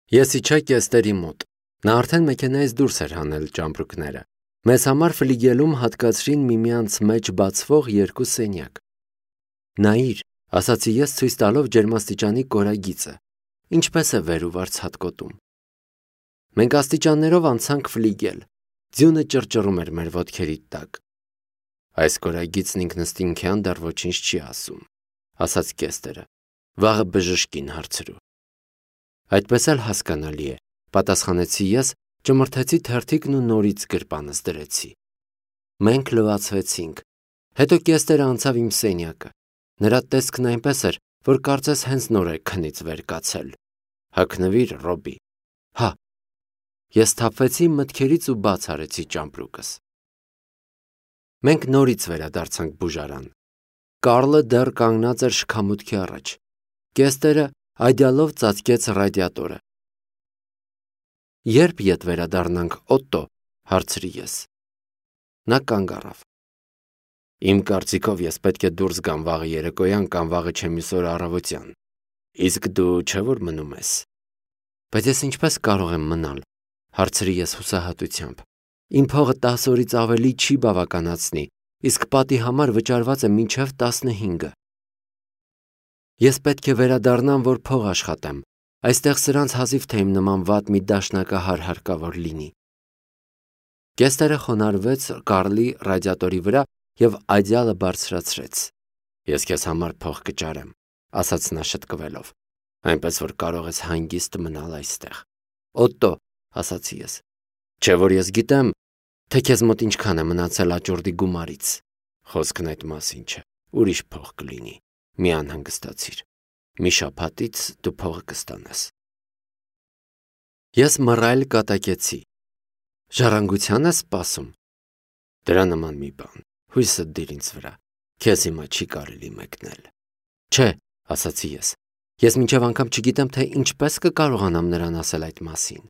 Ես իջա կեստերի մոտ։ Նա արդեն մեքենայից դուրս էր հանել ճամպրուկները։ Մեզ համար ֆլիգելում հատկացրին միմյանց մեջ բացվող երկու սենյակ։ Նայիր, ասացի ես ցույց տալով ջերմաստիճանի կորագիծը, ինչպես է վեր ու վարձ հատկոտում։ Մենք աստիճաններով անցանք ֆլիգել։ Ձյունը ճռճռում էր մեր ոտքերի տակ։ Այս կորագիծն ինքնըստինքյան դեռ ոչինչ չի ասում, ասաց Կեստերը։ Վաղը բժշկին հարցրու։ Այդպես էլ հասկանալի է, պատասխանեցի ես, ճմրթեցի թերթիկն ու նորից գրպանս դրեցի։ Մենք լվացվեցինք։ Հետո Կեստերը անցավ իմ սենյակը։ Նրա տեսքն այնպես էր, որ կարծես հենց նոր է քնից վեր կացել։ Հագնվիր, Ռոբի։ Հա։ Ես թափվեցի մտքերից ու բաց արեցի ճամպրուկս։ Մենք նորից վերադարձանք բուժարան։ Կարլը դեռ կանգնած էր շքամուտքի առաջ։ Կեստերը այդյալով ծածկեց ռադիատորը։ Երբ ետ վերադառնանք, Օտտո, հարցրի ես։ Նա կանգ առավ։ Իմ կարծիքով ես պետք է դուրս գամ վաղը երեկոյան կամ վաղը չեմիսօր առավոտյան։ Իսկ դու չէ՞ որ մնում ես։ Բայց ես ինչպես կարող եմ մնալ, հարցրի ես հուսահատությամբ։ Իմ փողը 10 օրից ավելի չի բավականացնի, իսկ պատի համար վճարված է մինչև 15-ը։ Ես պետք է վերադառնամ, որ փող աշխատեմ։ Այստեղ սրանց հազիվ թե իմ նման վատ մի դաշնակահար հարկավոր լինի։ Կեստերը խոնարհվեց Կարլի ռադիատորի վրա և այդյալը բարձրացրեց։ Ես քեզ համար փող կճարեմ, ասաց նա շտկվելով, այնպես որ կարող ես հանգիստ մնալ այստեղ։ Օտտո, ասացի ես, չէ որ ես գիտեմ, թե քեզ մոտ ինչքան է մնացել աճուրդի գումարից։ Խոսքն այդ մասին չէ, ուրիշ փող կլինի, մի անհանգստացիր։ Մի շաբաթից դու փողը կստանաս։ Ես մռայլ կատակեցի։ Ժառանգության ես սպասում։ Դրա նման մի բան, հույսդ դիր ինձ վրա, քեզ հիմա չի կարելի մեկնել։ Չէ, ասացի ես մինչև անգամ չգիտեմ, թե ինչպես կկարողանամ նրան ասել այդ մասին։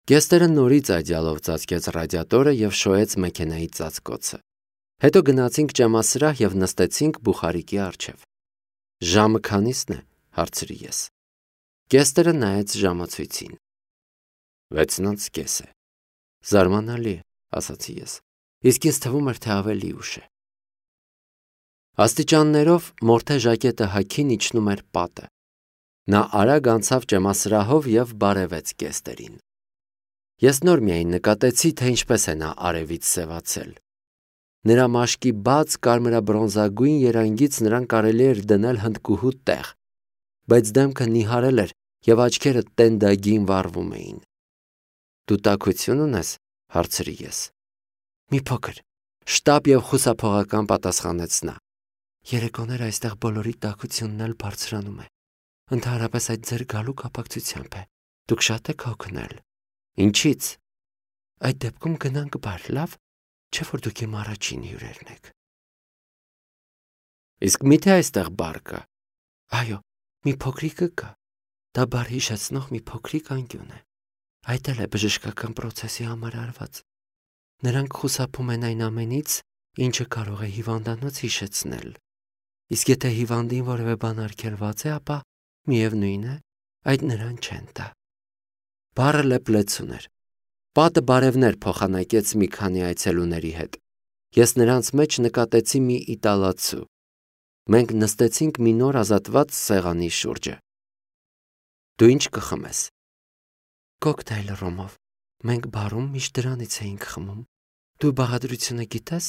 Կեստերը նորից այդյալով ծածկեց ռադիատորը և շոյեց մեքենայի ծածկոցը։ Հետո գնացինք ճեմասրահ և նստեցինք բուխարիկի առջև։ Ժամը քանիսն է, հարցրի ես։ Կեստերը նայեց ժամացույցին։ 6:30 է։ Զարմանալի է, ասացի ես, իսկ ինձ թվում էր, թե ավելի ուշ է։ Աստիճաններով մորթե ժակետը հագին իջնում էր պատը։ Նա արագ անցավ ճեմասրահով և բարևեց Կեստերին։ Ես նոր միայն նկատեցի, թե ինչպես է նա արևից սևացել։ Նրա մաշկի բաց կարմրաբրոնզագույն երանգից նրան կարելի էր դնել հնդկուհու տեղ, բայց դեմքը նիհարել էր և աչքերը տենդագին վառվում էին։ Դու տաքություն ունես, հարցրի ես։ Մի փոքր, շտապ և խուսափողական պատասխանեց նա։ Երեկոները այստեղ բոլորի տաքությունն էլ բարձրանում է։ Ընդհանրապես այդ ձեր գալու կապակցությամբ է։ Դուք շատ եք հոգնել։ Ինչից։ Այդ դեպքում գնանք բար, լավ, չէ՞ որ դուք իմ առաջին հյուրերն եք։ Իսկ միթե այստեղ բար կա։ Այո, մի փոքրիկը կա։ Դա բար հիշեցնող մի փոքրիկ անկյուն է։ Այդ էլ է բժշկական պրոցեսի համար արված։ Նրանք խուսափում են այն ամենից, ինչը կարող է հիվանդանոց հիշեցնել։ Իսկ եթե հիվանդին որևէ բան արգելված է, ապա միևնույն է, այդ նրան չեն տա։ Բառը լեփլեցուն էր։ Պատը բարևներ փոխանակեց մի քանի այցելուների հետ։ Ես նրանց մեջ նկատեցի մի իտալացու։ Մենք նստեցինք մի նոր ազատված սեղանի շուրջը։ Դու ինչ կխմես։ Կոկտեյլ ռոմով։ Մենք բարում միշտ դրանից էինք խմում։ Դու բաղադրությունը գիտես։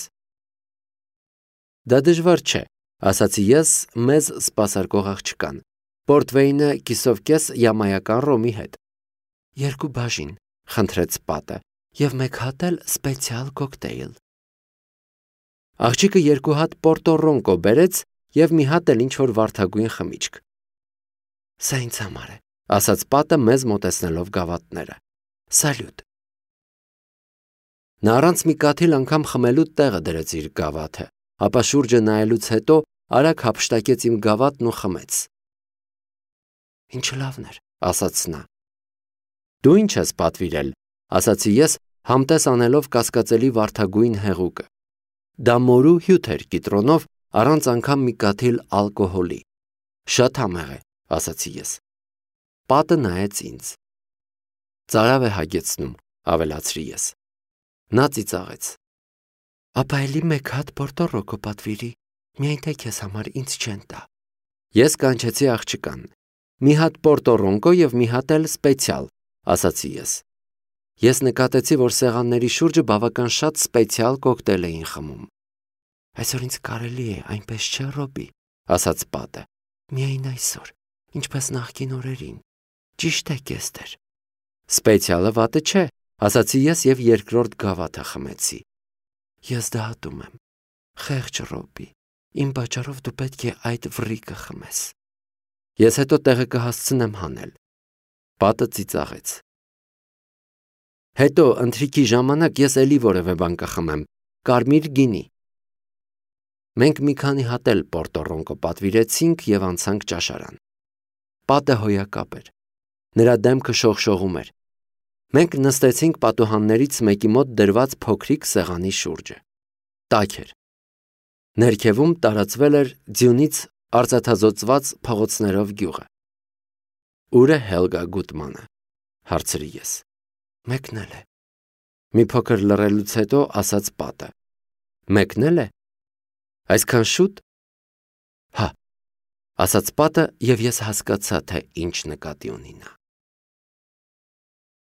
Դա դժվար չէ, ասացի ես մեզ սպասարկող աղջկան։ Պորտվեյնը կիսով կես յամայական ռոմի հետ։ 2 բաժին, խնդրեց պատը, և 1 հատ էլ սպեցիալ կոկտեյլ։ Աղջիկը 2 հատ Պորտո Ռոնկո բերեց և մի հատ էլ ինչ-որ վարդագույն խմիչք։ Սա ինձ համար է, ասաց պատը մեզ մոտեցնելով գավաթները։ Սալյուտ։ Նա առանց մի կաթիլ անգամ խմելու տեղը դրեց իր գավաթը, ապա շուրջը նայելուց հետո արագ հափշտակեց իմ գավաթն ու խմեց։ Ինչ լավն էր, ասաց նա։ Դու ինչ ես պատվիրել, ասացի ես, համտես անելով կասկածելի վարդագույն հեղուկը։ Դա մորու հյութ էր կիտրոնով, առանց անգամ մի կաթիլ ալկոհոլի։ Շատ համեղ է, ասացի ես։ Պատը նայեց ինձ։ Ծարավ է հագեցնում, ավելացրի ես։ Նա ծիծաղեց։ Ապա էլի մեկ հատ Պորտորոկո պատվիրի, միայն թե քեզ համար ինձ չեն տա։ Ես կանչեցի աղջկան։ Մի հատ Պորտորոկո եւ մի հատ էլ սպեցիալ, ասացի ես։ Ես նկատեցի, որ սեղանների շուրջը բավական շատ սպեցիալ կոկտեյլ էին խմում։ Այսօր ինձ կարելի է, այնպես չէ, Ռոբի, ասաց Պատը։ Միայն այսօր, ինչպես նախկին օրերին։ Ճիշտ է, Կեստեր։ Սպեցիալը վատը չէ, ասացի ես եւ երկրորդ գավաթը խմեցի։ Ես դատում եմ։ Խեղճ Ռոբի, իմ պատճառով դու պետք է այդ վրիկը խմես։ Ես հետո տեղը կհասցնեմ հանել։ Պատը ծիծաղեց։ Հետո ընթրիքի ժամանակ ես էլի որևէ բան կխմեմ, կարմիր գինի։ Մենք մի քանի հատ էլ Պորտորոկո պատվիրեցինք եւ անցանք ճաշարան։ Պատը հոյակապ էր։ Նրա դեմքը շողշողում էր։ Մենք նստեցինք պատուհաններից մեկի մոտ դրված փոքրիկ սեղանի շուրջը։ Տաք էր։ Ներքևում տարածվել էր ձյունից արծաթազօծված փողոցներով գյուղը։ Ուր է Հելգա Գուտմանը, հարցրի ես։ Մեկնել է։ Մի փոքր լռելուց հետո ասաց Պատը։ Մեկնել է։ Այսքան շուտ։ Հա, ասաց Պատը եւ ես հասկացա, թե ինչ նկատի ունի նա։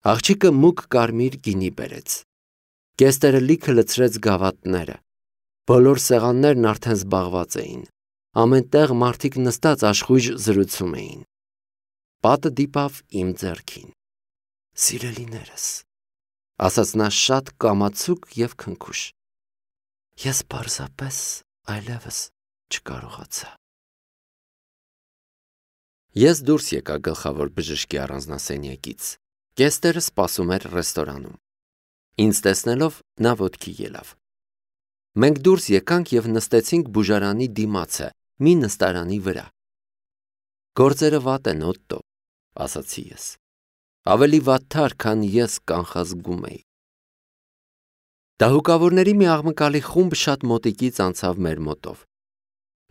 Աղջիկը մուգ կարմիր գինի բերեց։ Կեստերը լիքը լցրեց գավաթները։ Բոլոր սեղաններն արդեն զբաղված էին։ Ամեն տեղ մարդիկ նստած աշխույժ զրուցում էին։ Պատը դիպավ իմ ձեռքին։ Սիրելիներս, ասաց նա շատ կամացուկ եւ քնքուշ։ Ես պարզապես այլևս չկարողացա։ Ես դուրս եկա գլխավոր բժշկի առանձնասենյակից։ Կեստերը սպասում էր ռեստորանում։ Ինձ տեսնելով նա ոտքի ելավ։ Մենք դուրս եկանք եւ նստեցինք բուժարանի դիմացը, մի նստարանի վրա։ Գործերը վատ են, Օտտո, ասացի ես։ Ավելի վատթար, քան ես կանխազգում էի։ Դահուկավորների մի աղմկալի խումբ շատ մոտիկից անցավ մեր մոտով։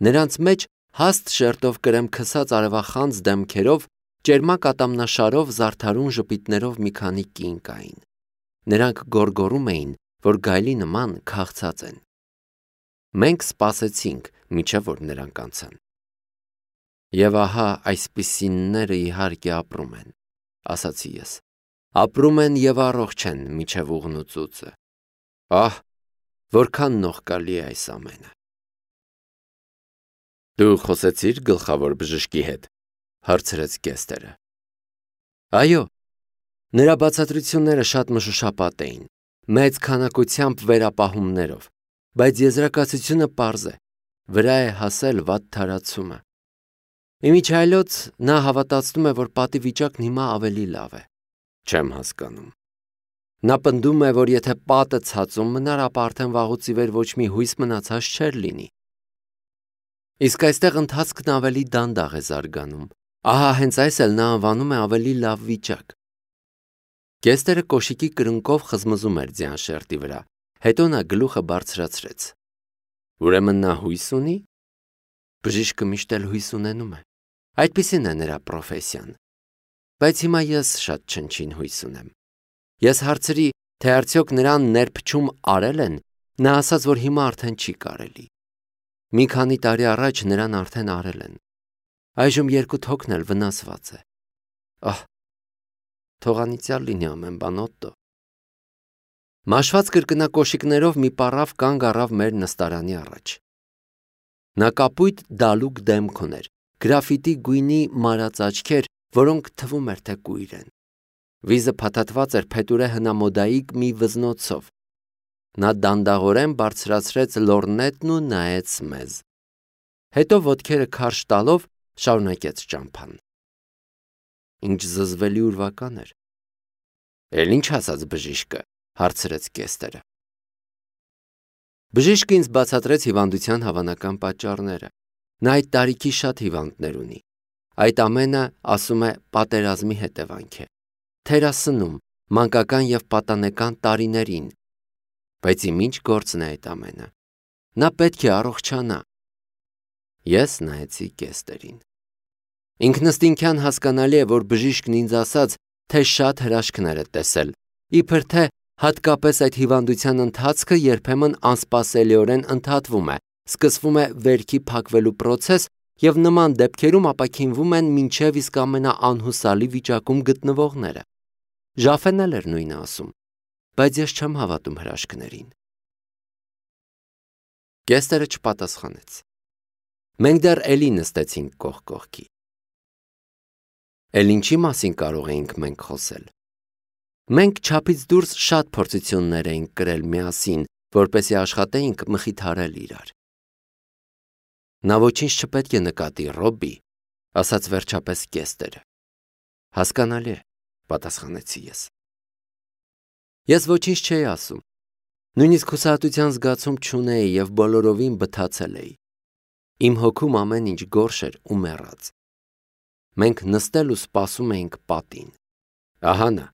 Նրանց մեջ հաստ շերտով կրեմ քսած արևախանձ դեմքերով, ճերմակ ատամնաշարով, զարդարուն ժպիտներով մի քանի կին կային։ Նրանք գոռգոռում էին, որ գայլի նման քաղցած են։ Մենք սպասեցինք, մինչև որ նրանք անցան։ Եվ ահա այսպիսինները իհարկե ապրում են, ասացի ես։ Ապրում են եւ առողջ են մինչև ուղնուծուցը։ Ահ, որքան նողկալի է այս ամենը։ Դու խոսեցիր գլխավոր բժշկի հետ, հարցրեց Կեստերը։ Այո, նրա բացատրությունները շատ մշուշապատ էին, մեծ քանակությամբ վերապահումներով, բայց եզրակացությունը պարզ է, վրա է հասել վատ թարացումը։ Իմիջայլոց նա հավատացնում է, որ պատի վիճակն հիմա ավելի լավ է։ Չեմ հասկանում։ Նա պնդում է, որ եթե պատը ցածում մնար, ապա արդեն վաղուց ի վեր ոչ մի հույս մնացած չէր լինի։ Իսկ այստեղ ընթացքն ավելի դանդաղ է զարգանում։ Ահա հենց այս էլ նա անվանում է ավելի լավ վիճակ։ Կեստերը կոշիկի կրունկով խզմզում էր ձյան շերտի վրա, հետո նա գլուխը բարձրացրեց։ Ուրեմն նա հույս ունի։ Բժիշկը միշտ էլ հույս ունենում է։ Այդպիսին է նրա պրոֆեսիան։ Բայց հիմա ես շատ չնչին հույս ունեմ։ Ես հարցրի, թե արդյոք նրան ներփչում արել են, նա ասաց, որ հիմա արդեն չի կարելի։ Մի քանի տարի առաջ նրան արդեն արել են։ Այժմ 2 թոքն էլ վնասված է։ Ահ, թողանիցյալ լինի ամեն բան, Օտտո։ Մաշված կրկնակոշիկներով մի պառավ կանգ առավ մեր նստարանի առաջ։ Նա կապույտ դալուկ դեմք ուներ, գրաֆիտի գույնի մարած աչքեր, որոնք թվում էր, թե կույր են։ Վիզը փաթաթված էր փետուրե հնամոդայիկ մի վզնոցով։ Նա դանդաղորեն բարձրացրեց լորնետն ու նայեց մեզ։ Հետո ոտքերը քարշ տալով շարունակեց ճամփան։ Ինչ զզվելի ուրվական էր։ Էլ ինչ ասաց բժիշկը, հարցրեց Կեստերը։ Բժիշկը ինձ բացատրեց հիվանդության հավանական պատճառները։ Նա այդ տարիքի շատ հիվանդներ ունի։ Այդ ամենը, ասում է, պատերազմի հետևանք է։ Թերասնում, մանկական եւ պատանեկան տարիներին։ Բայց իմ ինչ գործն է այդ ամենը։ Նա պետք է առողջանա։ Ես նայեցի Կեստերին։ Ինքնըստինքյան հասկանալի է, որ բժիշկն ինձ ասաց, թե շատ հրաշքներ է տեսել, իբր թե հատկապես այդ հիվանդության ընթացքը երբեմն անսպասելիորեն ընդհատվում է, սկսվում է վերքի փակվելու պրոցես և նման դեպքերում ապաքինվում են մինչև իսկ ամենաանհուսալի վիճակում գտնվողները։ Ժաֆեն էլ էր նույնը ասում, բայց ես չեմ հավատում հրաշքներին։ Կեստրը չպատասխանեց։ Մենք դեռ էլի նստեցինք կողք կողքի։ Էլ ինչի մասին կարող էինք մենք խոսել։ Մենք չափից դուրս շատ փորձություններ էինք կրել միասին, որպեսզի աշխատեինք մխիթարել իրար։ Նա ոչինչ չպետք է նկատի, Ռոբբի, ասաց վերջապես Կեստրը։ Հասկանալի է, պատասխանեցի ես։ Ես ոչինչ չէի ասում։ Նույնիսկ հուսահատության զգացում չունեի և բոլորովին բթացել էի։ Իմ հոգում ամեն ինչ գորշ էր ու մեռած։ Մենք նստել ու սպասում էինք պատին։ Ահա նա,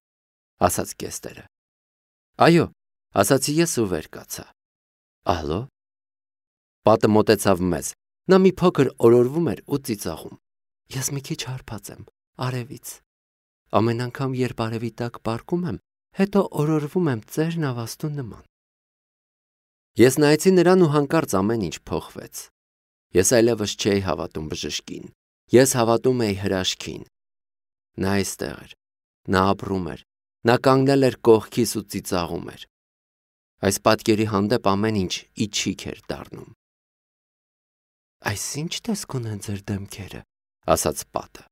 ասաց Կեստրը։ Այո, ասացի ես ու վեր կացա։ Ալո։ Պատը մոտեցավ մեզ։ Նա մի փոքր օրորվում էր ու ծիծաղում։ Ես մի քիչ հարբած եմ, արևից։ Ամեն անգամ, երբ արևի տակ պառկում եմ, հետո օրորվում եմ ծեր նավաստու նման։ Ես նայեցի նրան ու հանկարծ ամեն ինչ փոխվեց։ Ես այլևս չէի հավատում բժշկին։ Ես հավատում էի հրաշքին։ Նա այստեղ էր։ Նա ապրում էր։ Նա կանգնել էր կողքիս ու ծիծաղում էր։ Այս պատկերի հանդեպ ամեն ինչ իջիկ էր դառնում։ Այս ինչ տեսք ունեն ձեր դեմքերը, ասաց պատը։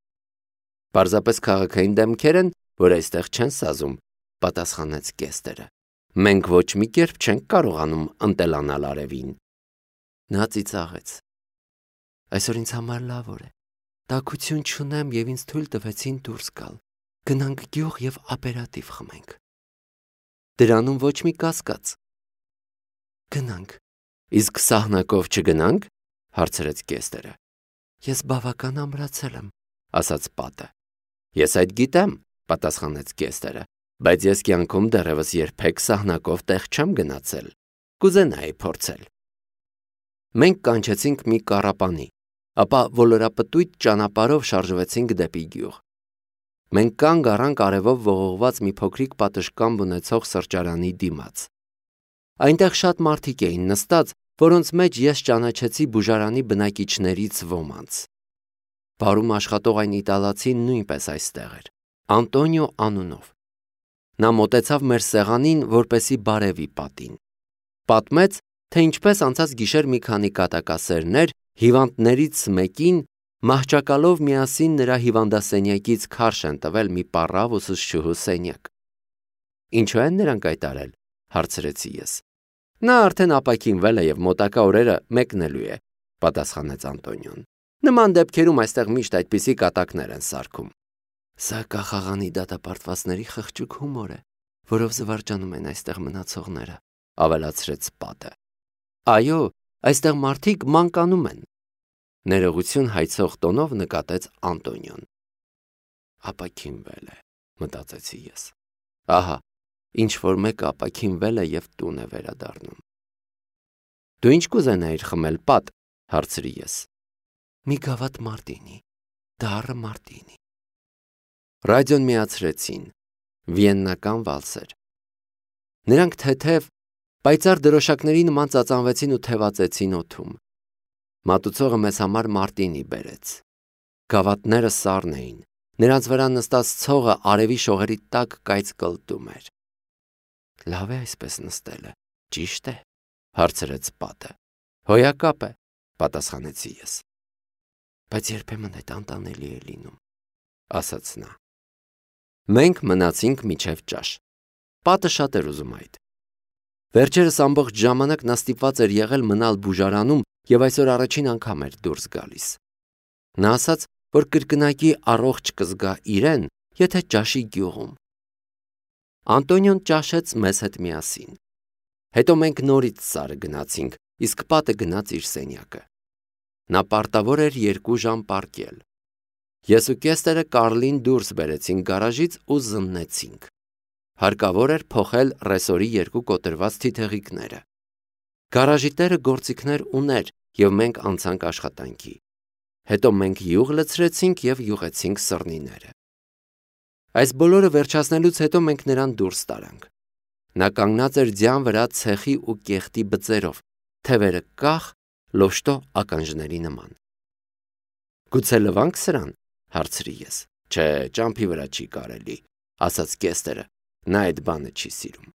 Պարզապես քաղաքային դեմքեր են, որ այստեղ չեն սազում, պատասխանեց Կեստրը։ Մենք ոչ մի կերպ չենք կարողանում ընտելանալ արևին։ Նա ծիծաղեց։ Այսօր ինձ համար լավ օր է։ Տաքություն չունեմ և ինձ թույլ տվեցին դուրս գալ։ Գնանք գյուղ և ապերատիվ խմենք։ Դրանում ոչ մի կասկած։ Գնանք։ Իսկ սահնակով չգնանք, հարցրեց Կեստրը։ Ես բավական ամրացել եմ, ասաց պատը։ Ես այդ գիտեմ, պատասխանեց Կեստրը, բայց ես կյանքում դեռևս երբեք սահնակով տեղ չեմ գնացել։ Կուզենայի փորձել։ Մենք կանչեցինք մի կառապանի, ապա ոլորապտույտ ճանապարհով շարժվեցինք դեպի գյուղ։ Մենք կանգ առանք արևով ողողված մի փոքրիկ պատշգամբ ունեցող սրճարանի դիմաց։ Այնտեղ շատ մարդիկ էին նստած, որոնց մեջ ես ճանաչեցի բուժարանի բնակիչներից ոմանց։ Բարում աշխատող այն իտալացին նույնպես այստեղ էր, Անտոնիո անունով։ Նա մոտեցավ մեր սեղանին, որպեսզի բարևի պատին։ Պատմեց, թե ինչպես անցած գիշեր մի քանի կատակասերներ հիվանդներից մեկին մահճակալով միասին նրա հիվանդասենյակից քարշ են տվել մի պառավ ուսուցչուհու սենյակ։ Ինչու են նրանք այդ արել, հարցրեցի ես։ Նա արդեն ապաքինվել է և մոտակա օրերը մեկնելու է, պատասխանեց Անտոնիոն։ Նման դեպքերում այստեղ միշտ այդպիսի կատակներ են սարքում։ Սա կախաղանի դատապարտվածների խղճուկ հումոր է, որով զվարճանում են այստեղ մնացողները, ավելացրեց պատը։ Այո, այստեղ մարդիկ մանկանում են, ներողություն հայցող տոնով նկատեց Անտոնիոն։ Ապաքինվել է, մտածեցի ես։ Ահա, ինչ-որ մեկը ապաքինվել է և տուն է վերադառնում։ Դու ինչ կուզենայիր խմել, պատ, հարցրի ես։ Մի գավաթ մարտինի, դառը մարտինի։ Ռադիոն միացրեցին, վիեննական վալսեր։ Նրանք թեթև, պայծառ դրոշակների նման ծածանվեցին ու թևածեցին օդում։ Մատուցողը մեզ համար մարտինի բերեց։ Գավաթները սառն էին, նրանց վրա նստած ցողը արևի շողերի տակ կայծ կլտում էր։ Լավ է այսպես նստելը, ճիշտ է, հարցրեց պատը։ Հոյակապ է, պատասխանեցի ես։ Բայց երբեմն այդ անտանելի է լինում, ասաց նա։ Մենք մնացինք մինչև ճաշ։ Պատը շատ էր ուզում այդ։ Վերջերս ամբողջ ժամանակ նա ստիպված էր եղել մնալ բուժարանում և այսօր առաջին անգամ էր դուրս գալիս։ Նա ասաց, որ կրկնակի առողջ կզգա իրեն, եթե ճաշի գյուղում։ Անտոնիոն ճաշեց մեզ հետ միասին։ Հետո մենք նորից սարը գնացինք, իսկ պատը գնաց իր սենյակը։ Նա պարտավոր էր 2 ժամ պառկել։ Ես ու Կեստրը Կարլին դուրս բերեցինք գարաժից ու զննեցինք։ Հարկավոր էր փոխել ռեսորի 2 կոտրված Հետո մենք յուղ լցրեցինք և յուղեցինք սռնիները։ Այս բոլորը վերջացնելուց հետո մենք նրան դուրս տարանք։ Նա կանգնած էր ձյան վրա ցեխի ու կեղտի բծերով, թևերը կախ, լոշտո ականջների նման։ Գուցե լվանք սրան, հարցրի ես։ Չէ, ճամփի վրա չի կարելի, ասաց Կեստերը, նա այդ բանը չի սիրում։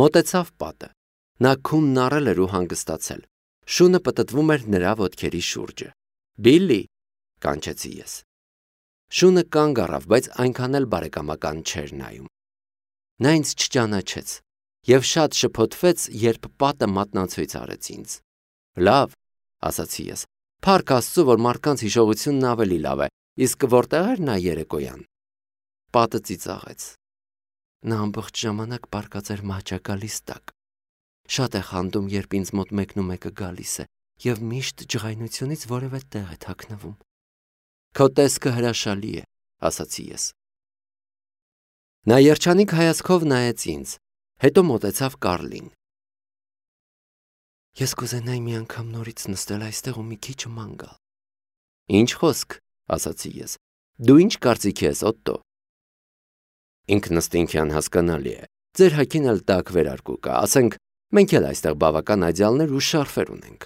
Մոտեցավ պատը։ Նա քունն առել էր ու հանգստացել։ Շունը պտտվում էր նրա ոտքերի շուրջը։ Բիլլի, կանչեցի ես։ Շունը կանգ առավ, բայց այնքան էլ բարեկամական չէր նայում։ Նա ինձ չճանաչեց և շատ շփոթվեց, երբ պատը մատնացույց արեց ինձ։ Լավ, ասացի ես, փառք Աստծու, որ մարդկանց հիշողությունն ավելի լավ է, իսկ որտեղ էր նա երեկոյան։ Պատը ծիծաղեց։ Նա ամբողջ ժամանակ պառկած էր մահճակալիս տակ։ Շատ է խանդում, երբ ինձ մոտ մեկնումեկը գալիս է և միշտ ջղայնությունից որևէ տեղ է թաքնվում։ Քո տեսքը հրաշալի է, ասացի ես։ Նա երջանիկ հայացքով նայեց ինձ, հետո մոտեցավ Կարլին։ Ես կուզենայի մի անգամ նորից նստել այստեղ ու մի քիչ ման գալ։ Ինչ խոսք, ասացի ես։ Դու ինչ կարծիք ես, Օտտո։ Ինքնըստինքյան հասկանալի է։ Ձեր հագին էլ տաք վերարկու կա, ասենք, մենք էլ այստեղ բավական այդյալներ ու շարֆեր ունենք։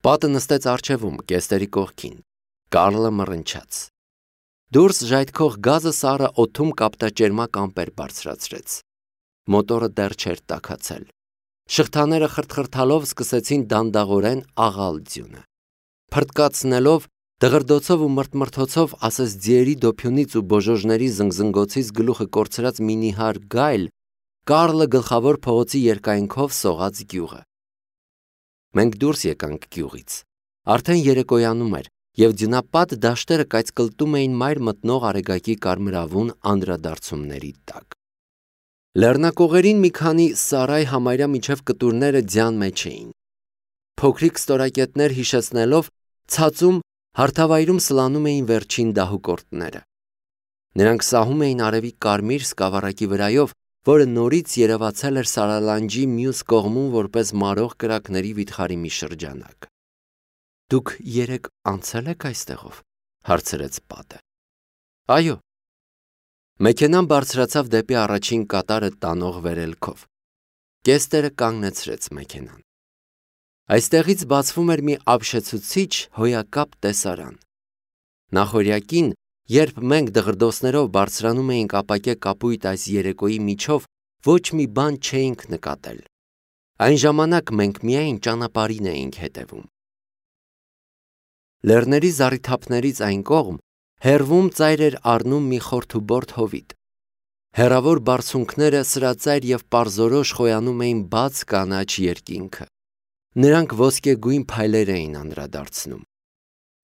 Պատը նստեց առջևում, Կեստերի կողքին։ Կարլը մռնչաց։ Դուրս ժայթքող գազը սառը օդում կապտաճերմակ ամպեր բարձրացրեց։ Մոտորը դեռ չէր տաքացել։ Շղթաները խրթխրթալով սկսեցին դանդաղորեն աղալ ձյունը։ Փրտկացնելով, դղրդոցով ու մրթմրթոցով, ասես ձիերի դոփյունից ու բոժոժների զնգզնգոցից գլուխը կորցրած մի նիհար գայլ, Կարլը գլխավոր փողոցի երկայնքով սողաց գյուղը։ Մենք դուրս եկանք գյուղից։ Արդեն երեկոյանում էր, և ձյունապատ դաշտերը կայծկլտում էին մայր մտնող արեգակի կարմրավուն անդրադարձումների տակ։ Լեռնակողերին մի քանի սարայ համարյա միջև կտուրները ձյան մեջ էին։ Փոքրիկ ստորակետներ հիշեցնելով, ցածում հարթավայրում սլանում էին վերջին դահուկորդները։ Նրանք սահում էին արևի կարմիր սկավառակի վրայով, որը նորից երևացել էր Սարալանջի մյուս կողմում որպես մարող կրակների վիթխարի մի շրջանակ։ Դուք երեկ անցել եք այստեղով, հարցրեց պատը։ Այո։ Մեքենան բարձրացավ դեպի առաջին կատարը տանող վերելքով։ Կեստերը կանգնեցրեց մեքենան։ Այստեղից բացվում էր մի ապշեցուցիչ հոյակապ տեսարան։ Նախօրյակին, երբ մենք դղրդոցներով բարձրանում էինք ապակե կապույտ այս երեկոյի միջով, ոչ մի բան չէինք նկատել։ Այն ժամանակ մենք միայն ճանապարհին էինք հետևում։ Լեռների զառիթափներից այն կողմ հեռվում ծայր էր առնում մի խորթուբորդ հովիտ։ Հեռավոր բարձունքները սրածայր և պարզորոշ խոյանում էին բաց կանաչ երկինքը։ Նրանք ոսկեգույն փայլեր էին անդրադարձնում։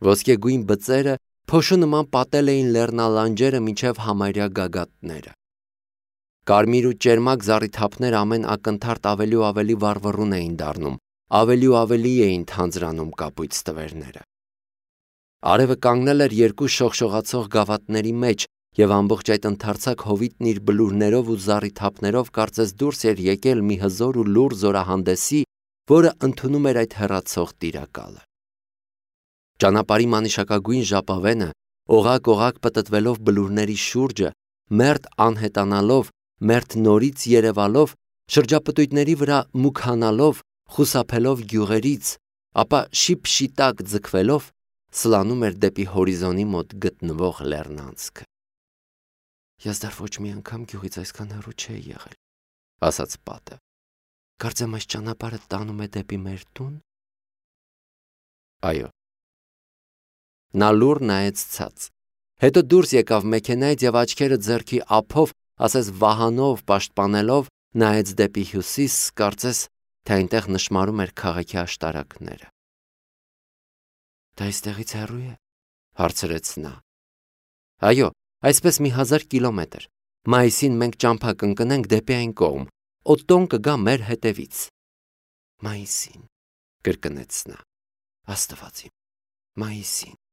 Ոսկեգույն բծերը փոշու նման պատել էին լեռնալանջերը մինչև համարյա գագաթները։ Կարմիր ու ճերմակ զառիթափներ ամեն ակնթարթ ավելի ու ավելի վառվռուն էին դառնում, ավելի ու ավելի էին թանձրանում կապույտ ստվերները։ Արևը կանգնել էր երկու շողշողացող գավաթների մեջ, և ամբողջ այդ ընդարձակ հովիտն իր բլուրներով ու զառիթափներով կարծես դուրս էր եկել մի հզոր ու լուռ զորահանդեսի, որը ընդունում էր այդ հեռացող տիրակալը։ Ճանապարհի մանիշակագույն ժապավենը, օղակ-օղակ պտտվելով բլուրների շուրջը, մերթ անհետանալով, մերթ նորից երևալով, շրջապտույտների վրա մուգանալով, խուսափելով գյուղերից, ապա շիպշիտակ ձգվելով, սլանում էր դեպի հորիզոնի մոտ գտնվող լեռնանցքը։ Ես դեռ ոչ մի անգամ գյուղից այսքան հեռու չէի եղել, ասաց պատը։ Կարծեմ այս ճանապարհը տանում է դեպի մեր տուն։ Այո։ Նա լուռ նայեց ցած։ Հետո դուրս եկավ մեքենայից և աչքերը ձեռքի ափով, ասես վահանով պաշտպանելով, նայեց դեպի հյուսիս, կարծես, թե այնտեղ նշմարում էր քաղաքի աշտարակները։ Դա այստեղից հեռու է, հարցրեց նա։ Այո, այսպես մի 1000 կիլոմետր։ Մայիսին մենք ճամփա կընկնենք դեպի այն կողմ, Օտտոն կգա մեր հետևից։ Մայիսին, կրկնեց նա։ Աստված իմ, մայիսին։